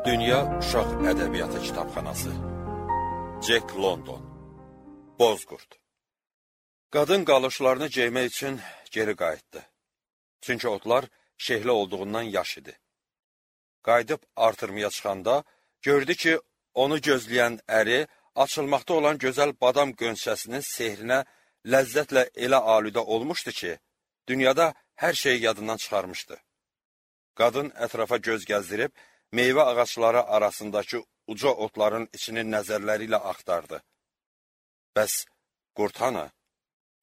Dünya Uşaq Ədəbiyyatı Kitabxanası Jack London Bozqurd Qadın qalışlarını geymək üçün geri qayıtdı. Çünki otlar şehli olduğundan yaş idi. Qayıdıb artırmaya çıxanda gördü ki, onu gözləyən əri açılmaqda olan gözəl badam qönçəsinin sehrinə ləzzətlə elə alüdə olmuşdu ki, dünyada hər şeyi yadından çıxarmışdı. Qadın ətrafa göz gəzdirib, meyvə ağaçları arasındakı uca otların içini nəzərləri ilə axtardı. Bəs qurd hanı?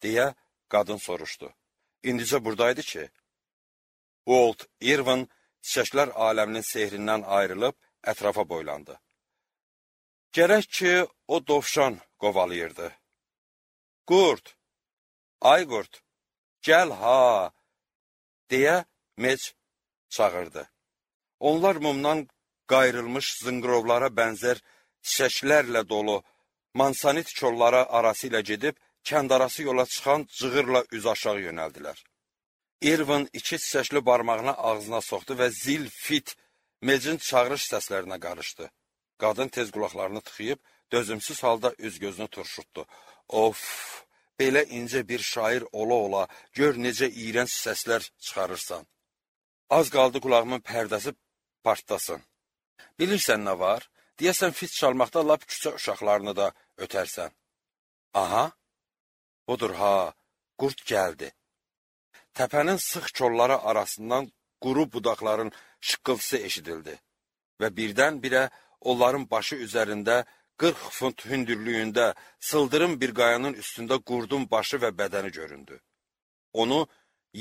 Deyə qadın soruşdu. İndicə buradaydı ki, Walt Irwin çiçəklər aləminin sehrindən ayrılıb ətrafa boylandı. Gərək ki, o dovşan qovalayırdı. Qurd, ay qurd, gəl ha, deyə Mec çağırdı. Onlar mumdan qayrılmış zınqrovlara bənzər çiçəklərlə dolu mansanit kolları arası ilə gedib, kəndarası yola çıxan cığırla üz aşağı yönəldilər. Irwin iki çiçəkli barmağını ağzına soxdu və zil, fit, Mecin çağırış səslərinə qarışdı. Qadın tez qulaqlarını tıxıyıb, dözümsüz halda üz-gözünü turşutdu. Of, belə incə bir şair ola-ola, gör necə iyrənc səslər çıxarırsan. Az qaldı qulağımın pərdəsi partlasın. Bilirsən nə var? Deyəsən fit çalmaqda lap küçə uşaqlarını da ötərsən. Aha, budur ha, qurd gəldi. Təpənin sıx kolları arasından quru budaqların şıqqıltısı eşidildi və birdən-birə onların başı üzərində 40 funt hündürlüyündə sıldırım bir qayanın üstündə qurdun başı və bədəni göründü. Onu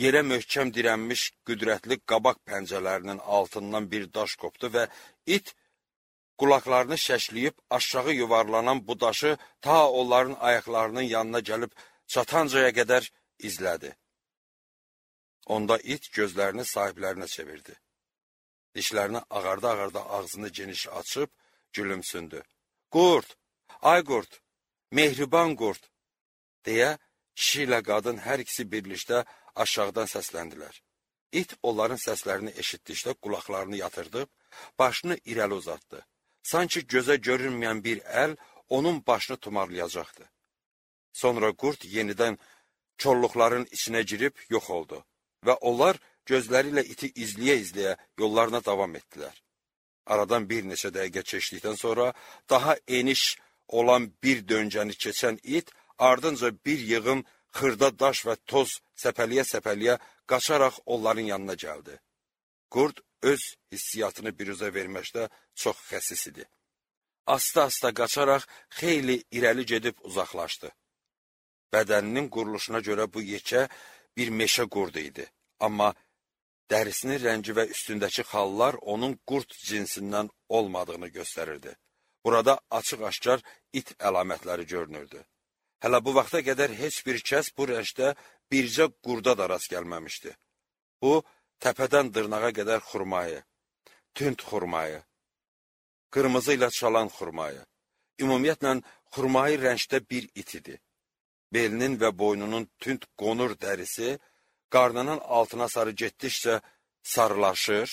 yerə möhkəm dirənmiş qüdrətli qabaq pəncələrinin altından bir daş qopdu və it qulaqlarını şəkləyib aşağı yuvarlanan bu daşı ta onların ayaqlarının yanına gəlib çatancaya qədər izlədi. Onda it gözlərini sahiblərinə çevirdi. Dişlərini ağarda-ağarda ağzını geniş açıb gülümsündü. Qurd, ay qurd, mehriban qurd, deyə kişi ilə qadın hər ikisi birlikdə aşağıdan səsləndilər. İt onların səslərini eşitdikdə qulaqlarını yatırdıb, başını irəli uzatdı. Sanki gözə görünməyən bir əl onun başını tumarlayacaqdı. Sonra qurd yenidən kolluqların içinə girib yox oldu və onlar gözləri ilə iti izləyə-izləyə yollarına davam etdilər. Aradan bir neçə dəqiqə keçdikdən sonra daha eniş olan bir döncəni keçən it ardınca bir yığın xırda daş və toz səpəliyə-səpəliyə qaçaraq onların yanına gəldi. Qurd öz hissiyatını biruzə verməkdə çox xəsis idi. Asta-asta qaçaraq xeyli irəli gedib uzaqlaşdı. Bədəninin quruluşuna görə bu yekə bir meşə qurdu idi. Amma dərisinin rəngi və üstündəki xallar onun qurd cinsindən olmadığını göstərirdi. Burada açıq-aşkar it əlamətləri görünürdü. Hələ bu vaxta qədər heç bir kəs bu rəngdə bircə qurda da rast gəlməmişdi. Bu, təpədən dırnağa qədər xurmayı, tünd xurmayı, qırmızı ilə çalan xurmayı, ümumiyyətlə xurmayı rəngdə bir it idi. Belinin və boynunun tünd qonur dərisi, qarnının altına sarı getdikcə sarılaşır,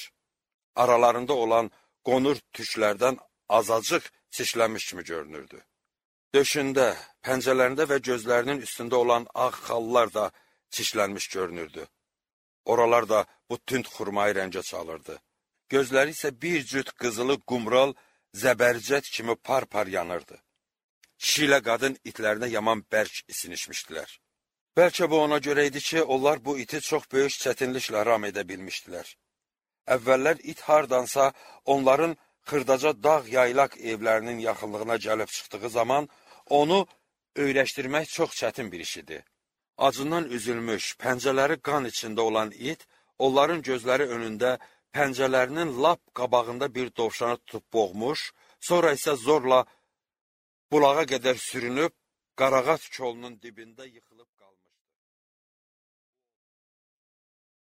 aralarında olan qonur tüklərdən azacıq çişlənmiş kimi görünürdü. Döşündə, pəncələrində və gözlərinin üstündə olan ağ xallar da çişlənmiş görünürdü. Oralar da bu tünd xurmayı rəngə çalırdı. Gözləri isə bir cüt qızılı qumral, zəbərcət kimi par-par yanırdı. Kişi ilə qadın itlərinə yaman bərk isinişmişdilər. Bəlkə bu ona görə idi ki, onlar bu iti çox böyük çətinliklə ram edə bilmişdilər. Əvvəllər it hardansa onların xırdaca dağ yaylaq evlərinin yaxınlığına gəlib çıxdığı zaman onu öyrəşdirmək çox çətin bir iş idi. Acından üzülmüş, pəncələri qan içində olan it, onların gözləri önündə pəncələrinin lap qabağında bir dovşanı tutub boğmuş, sonra isə zorla bulağa qədər sürünüb, qarağat kolunun dibində yıxılıb qalmışdı.